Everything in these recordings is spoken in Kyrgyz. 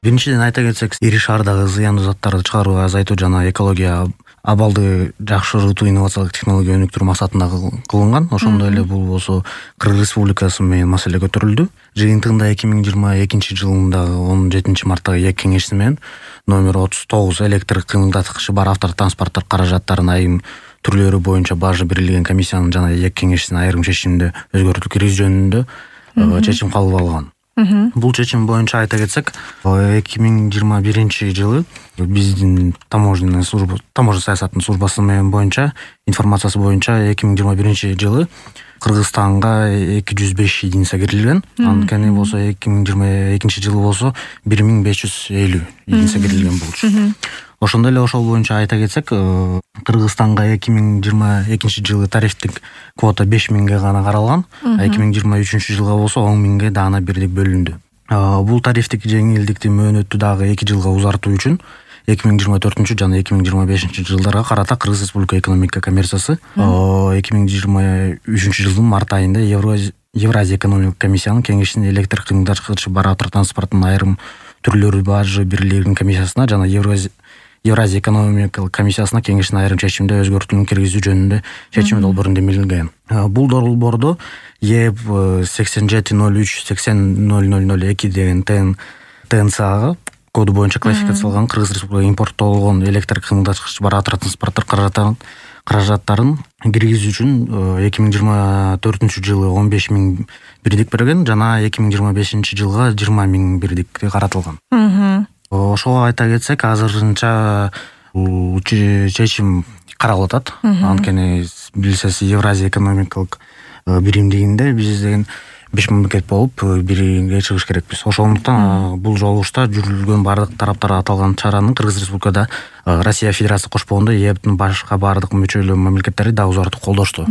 Биринчиден айта кетсек, ири шаардагы зыяндуу заттарды чыгарууга азайтуу жана экология абалды жакшыртуу инновациялык технология өнүктүрүү максатында кылынган. Ошондой эле бул болсо Кыргыз Республикасы менен маселе көтөрүлдү. Жыйынтыгында 2022 жылындагы 17 марттагы ЭК кеңеши менен номер 39 электр кыймылдаткычы бар автотранспорттор каражаттарынын айрым түрлөрү боюнча бажы берилген комиссиянын жана ЭК кеңешинин айрым чечимине өзгөртүү киргизүү жөнүндө чечим кабыл алган. Бул чечим боюнча айта кетсек, 2021 жылы биздин таможня саясатынын службасы менен боюнча информациясы боюнча 2021 жылы Кыргызстанга 205 единица кирилген. Анткени болсо 2022 жылы болсо 1550 единица кирилген болчу. Ошондой эле ошол боюнча айта кетсек, Кыргызстанга 2022 жылы тарифтик квота 5000ге гана каралган, 2023 жылга болсо 10.000ге даана бирдик бөлүндү. Бул тарифтик жеңилдикти мөөнөттү дагы 2 жылга узартуу үчүн 2024 жана 2025 жылдарга карата Кыргыз Республика экономика коммерциясы 2023 жылдын март айында Евразия экономикалык комиссиянын кеңешинин электр кыймылдаткычы бар автотранспорттун айрым түрлөрү бажы берилген комиссиясына жана Евразия экономикалык комиссиясына кеңештин айрым чечимде өзгөртүүнү киргизүү жөнүндө чечим долбоору демилген. Бул долбоордо ЕБ 8703-80002 деген ТНЦАга коду боюнча классификацияланган Кыргыз Республикасына импорттолгон электр кыймылдаткычы бар автотранспорттор каражаттарын киргизүү үчүн 2024 жылы 15.000 бирдик берген жана 2025 жылга 20.000 бирдик каратылган. Ошого айта кетсек, азырынча бул чечим каралып атат. Анткени билсеңиз, Евразия экономикалык биримдигинде биз деген 5 мамлекет болуп бирге чыгыш керекпиз. Ошондуктан бул жолугушта жүрүлгөн бардык тараптар аталган чараны Кыргыз Республикада Россия Федерациясы кошпогондо ЕБтин башка бардык мүчөлүү мамлекеттери да узартып колдошту.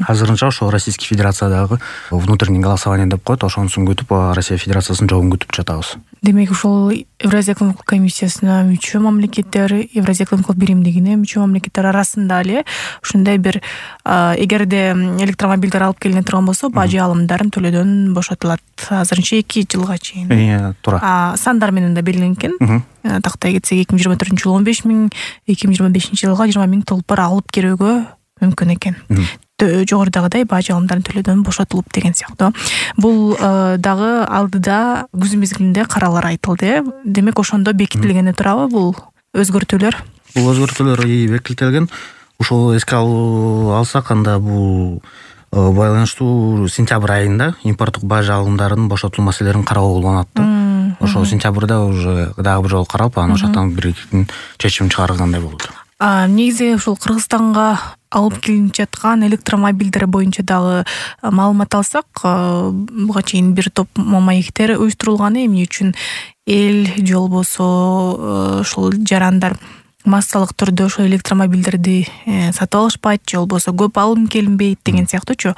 Азырынча ошо Российский Федерациядагы внутренний голосование деп коет, ошонусун күтүп Россия Федерациясынын жобун күтүп жатабыз. Демек ошол Евразия экономикалык комиссиясына мүчө мамлекеттер, Евразия экономикалык биримдигине мүчө мамлекеттер арасында эле ушундай бир эгерде электромобилдер алып келине турган болсо, бажы алымдарын төлөөдөн бошотулат азырынча 2 жылга чейин. Туура. Сандар менен да белгиленген экен. Тактай кетсек 2024 жылы 15.000, 2025 жылга 20.000 толпор алып келүүгө мүмкүн экен. Жогорудагыдай бажы алымдарын төлөөдөн бошотулуп деген сыяктуу. Бул дагы алдыда күз мезгилинде каралар айтылды. Демек ошондо бекитилгени турабы бул өзгөртүүлөр? Бул өзгөртүүлөр бекитилген. Ошол эске алсак, анда бул байланыштуу сентябрь айында импорттук бажы алымдарынын бошотулуу маселелерин кароо болгон атты. Ошол сентябрда уже дагы бир жолу каралып, анан ошондон бир чечим чыгаргандай болду. Негизи ушул Кыргызстанга алып келинип жаткан электромобилдер боюнча дагы маалымат алсак, буга чейин бир топ маектер уюштурулган, эмне үчүн эл же болбосо ушул жарандар массалык түрдө ошо электромобилдерди сатып алышпайт, же болбосо көп алым келинбейт деген сыяктуучу.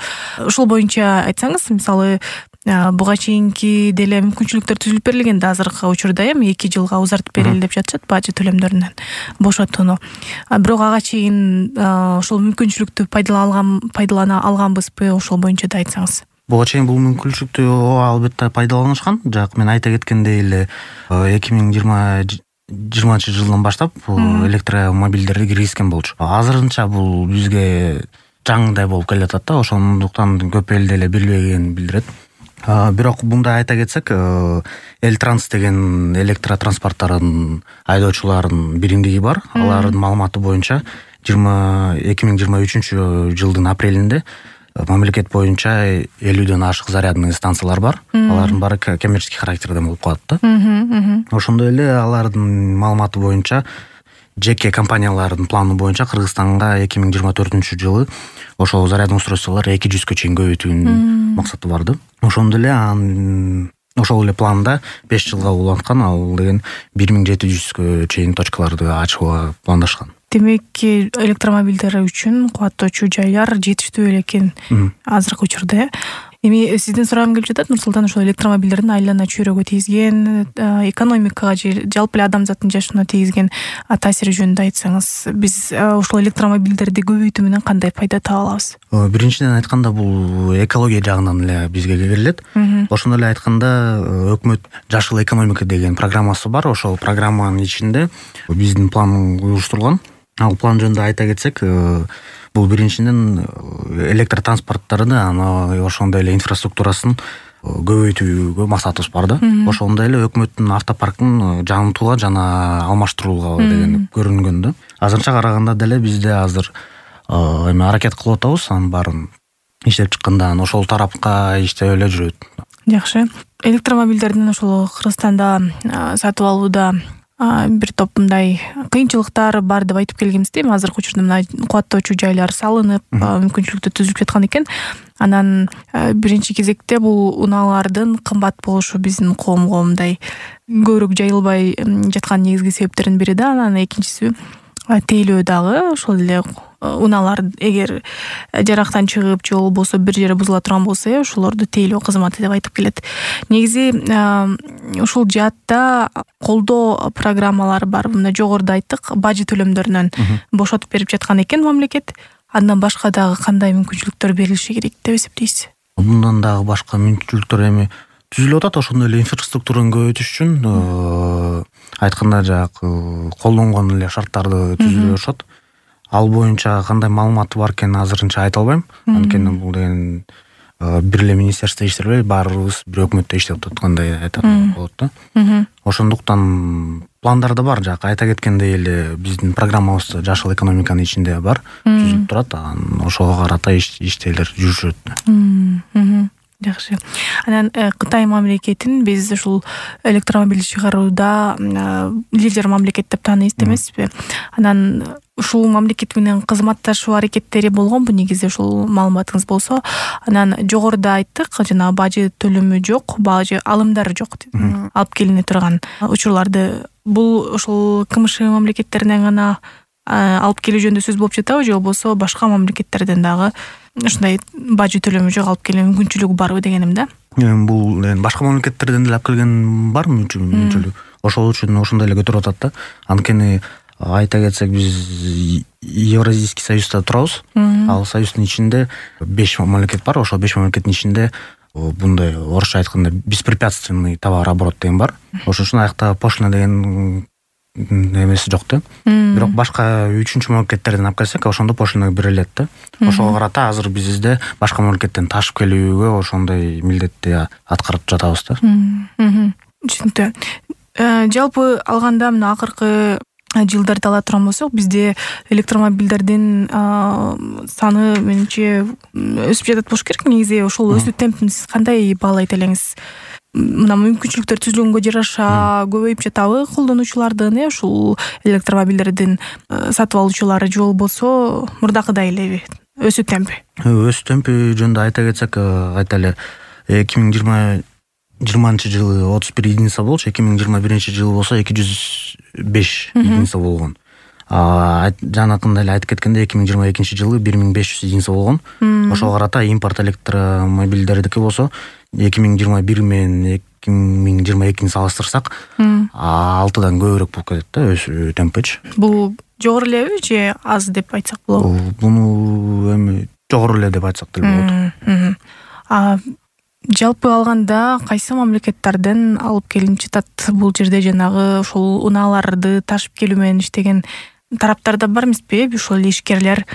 Ушул боюнча айтсаңыз, мисалы буга чейинки деле мүмкүнчүлүктөр түзүлүп берилген да, азыркы учурда 2 жылга узартып берели деп жатышат бажы төлөмдөрүнөн бошотууну. Бирок ага чейин ошол мүмкүнчүлүктү пайдалана алганбызбы, ошол боюнча да айтсаңыз. Буга чейин бул мүмкүнчүлүктү албетте пайдаланышкан. Жак, мен айта кеткендей эле 2020 жылдан баштап электромобилдерди киргизген болчу. Азырынча бул бизге жаңыдай болуп келатат да, ошондуктан көп эл деле билбегенин билдирет. Бирок мындай айта кетсек, Элтранс деген электротранспорттардын айдоочуларынын биримдиги бар. Алардын маалыматы боюнча 2023 жылдын апрелинде мамлекет боюнча 50дөн ашык зарядный станциялар бар. Алардын баары коммерческий характерден болуп калат да. Ошондой эле алардын маалыматы боюнча жеке компаниялардын планы боюнча Кыргызстанга 2024 жылы ошол зарядный устройстволор 200-кө чейин көбөйтүүнүн максаты бар да. Ошондой эле планда 5 жылга уланткан, ал деген 1700-кө чейин точкаларды ачууга пландашкан. Демек, электромобилдер үчүн кубаттоочу жайлар жетиштүү эле экен азыркы учурда. Эми сизден сурагым келип жатат, Нурсултан, ошол электромобилдердин айлана чөйрөгө тийгизген, экономикага же жалпы эле адамзаттын жашоона тийгизген таасири жөнүндө айтсаңыз, биз ушул электромобилдерди көбөйтүү менен кандай пайда таба алабыз? Биринчиден айтканда бул экология жагынан эле бизге келет. Ошондой эле айтканда өкмөт жашыл экономика деген программасы бар. Ошол программанын ичинде биздин план уюштурулган. Ал план жөнүндө айта кетсек, бул биринчиден электр транспорттарды, ошондой эле инфраструктурасын көбөйтүүгө максатыбыз бар да. Ошондой эле өкмөттүн автопаркын жаңыртууга жана алмаштырууга деген көрүнгөн да. Азырынча караганда деле бизде азыр эми аракет кылып атабыз, анын баарын иштеп чыкканда ошол тарапка иштеп эле жүрөт. Жакшы. Электромобилдердин ошол Кыргызстанда сатып алууда бир топ мындай кыйынчылыктар бар деп айтып келгенбиз да. Азыркы учурда мына кубаттоочу жайлар салынып, мүмкүнчүлүктөр түзүлүп жаткан экен. Анан биринчи кезекте бул унаалардын кымбат болушу биздин коомго мындай көбүрөөк жайылбай жаткан негизги себептердин бири да. Анан экинчиси тейлөө дагы. Ошол эле унаалар эгер жарактан чыгып же болбосо бир жери бузула турган болсо, ошолорду тейлөө кызматы деп айтып келет. Негизи ушул жаатта колдоо программалары бар. Мына жогоруда айттык, бажы төлөмдөрүнөн бошотуп берип жаткан экен мамлекет. Андан башка дагы кандай мүмкүнчүлүктөр берилиши керек деп эсептейсиз? Мындан дагы башка мүмкүнчүлүктөр эми түзүлүп атат. Ошондой эле инфраструктураны көбөйтүш үчүн айтканда жанагы колдонгон эле шарттарды түзүлө беришет. Ал боюнча кандай маалыматы бар экенин азырынча айта албайм. Анткени бул деген бир эле министерство иштебей, баарыбыз бир өкмөттө иштеп аткандай айтат болот да. Ошондуктан пландар да бар. Жак айта кеткендей эле биздин программабызда жашыл экономиканын ичинде бар, түзүлүп турат. Ошого карата иштейлер жүрүшөт. Жакшы. Анан Кытай мамлекетин биз ушул электромобиль чыгарууда лидер мамлекет деп тааныйбыз эмеспи? Анан ушул мамлекет менен кызматташуу аракеттери болгонбу негизи, ушул маалыматыңыз болсо? Анан жогоруда айттык, жана бажы төлөмү жок, бажы алымдары жок алып келине турган учурларды. Бул ушул КМШ мамлекеттеринен гана алып келүү жөнүндө сөз болуп жатабы, же болбосо башка мамлекеттерден дагы ушундай бажы төлөмү жок алып келүү мүмкүнчүлүгү барбы дегеним да. Бул башка мамлекеттерден деле алып келген бар мүмкүнчүлүк. Ошол үчүн ошондой эле көтөрүп атат да. Анткени айта кетсек, биз Евразийский союзда турабыз. Ал союздун ичинде 5 мамлекет бар. Ошол 5 мамлекеттин ичинде мындай орусча айтканда беспрепятственный товарооборот деген бар. Ошон үчүн аякта пошлина деген эмеси жок да. Бирок башка 3-чү мамлекеттерден алып келсек, ошондо пошлина берилет да. Ошого карата азыр бизде башка мамлекеттен ташып келүүгө ошондой милдетти аткарып жатабыз да. Түшүнүктүү. Жалпы алганда мына акыркы жылдарды ала турган болсок, бизде электромобилдердин саны менимче өсүп жатат болуш керек. Негизи ошол өсүү темпин сиз кандай баалайт элеңиз? Мына мүмкүнчүлүктөр түзүлгөнгө жараша көбөйүп жатабы колдонуучулардын, ушул электромобилдердин сатып алуучулары, же болбосо мурдакыдай элеби өсүү темпи? Өсүү темпи жөнүндө айта кетсек, айта эле 2020-жылы 31 единица болчу, 2021-жылы болсо 205 единица болгон. Жанакында эле айтып кеткенде 2022-жылы 1500 единица болгон. Ошого карата импорт электромобилдердики болсо 2021 менен 2022-ни салыштырсак 6-дан көбүрөөк болуп кетет да өсүү темпичи. Бул жогору элеби же аз деп айтсак болобу? Буну эми жогору эле деп айтсак деле болот. Жалпы алганда кайсы мамлекеттерден алып келинип жатат бул жерде? Жанагы ушул унааларды ташып келүү менен иштеген тараптар да бар эмеспи? Ушул ишкерлер,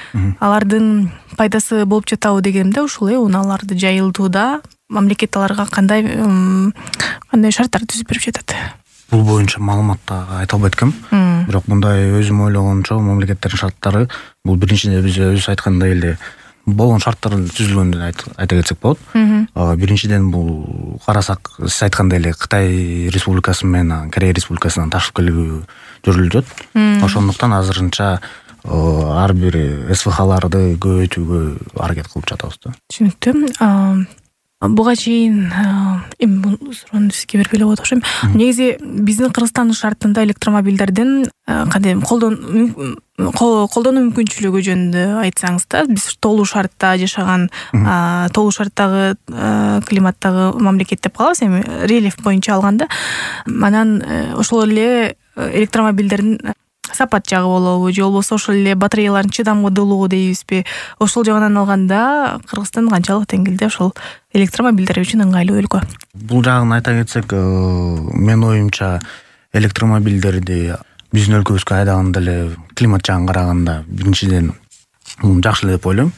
алардын пайдасы болуп жатабы дегенде, ушул унааларды жайылтууда мамлекет аларга кандай шарттар түзүп берип жатат? Бул боюнча маалыматты айта албайт экенм. Бирок мындай өзүм ойлогончо мамлекеттердин шарттары бул биринчиден биз өзүбүз айткандай эле болгон шарттар түзүлгөндөн айта кетсек болот. Биринчиден бул карасак, сиз айткандай эле Кытай Республикасы менен Корея Республикасынан ташып келүү жүрүлүп жатат. Ошондуктан азырынча ар бир СВХларды көбөйтүүгө аракет кылып жатабыз да. Түшүнүктүү. Буга чейин эми бул суроону сизге бергиле болот окшойм. Негизи биздин Кыргызстандын шартында электромобилдердин кандай колдонуу мүмкүнчүлүгү жөнүндө айтсаңыз да, биз толуу шартта жашаган, толуу шарттагы климаттагы мамлекет деп калабыз эми рельеф боюнча алганда. Анан ошол эле электромобилдердин сапат жагы болобу же болбосо ошол эле батареялардын чыдамдуулугу дейбизби, ошол жагынан алганда Кыргызстан канчалык деңгээлде ошол электромобилдер үчүн ыңгайлуу өлкө? Бул жагын айта кетсек, менин оюмча электромобилдерди биздин өлкөбүзгө айдаганда эле климат жагын караганда биринчиден жакшы эле деп ойлойм.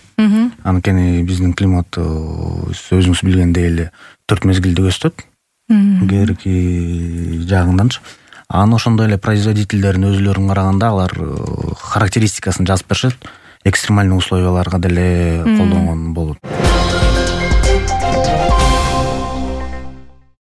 Анткени биздин климат өзүңүз билгендей эле 4 мезгилди көзөтөт. Кээрки жагынданчы. Анан ошондой эле производительдердин өзүлөрүн караганда алар характеристикасын жазып беришет, экстремальный условияларга деле колдонгон болот.